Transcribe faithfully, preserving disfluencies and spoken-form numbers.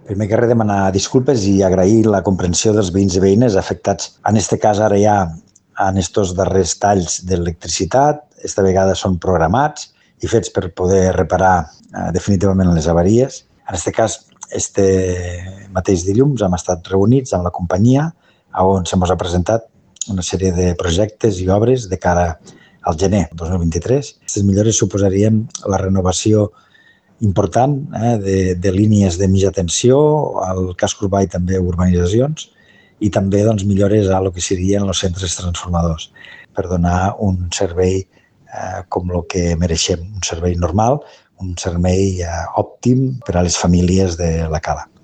Primer que res, demanar disculpes i agrair la comprensió dels veïns i veïnes afectats. En este cas, ara ja, en estos darrers talls d'electricitat, esta vegada són programats i fets per poder reparar eh, definitivament les avaries. En este cas, este mateix dilluns hem estat reunits amb la companyia on se mos ha presentat una sèrie de projectes i obres de cara al gener del dos mil vint-i-tres. Aquestes millores suposarien la renovació important eh, de, de línies de mitja tensió, al casc urbà i també urbanitzacions, i també doncs, millores a lo que serien els centres transformadors per donar un servei eh, com el que mereixem, un servei normal, un servei eh, òptim per a les famílies de la Cala.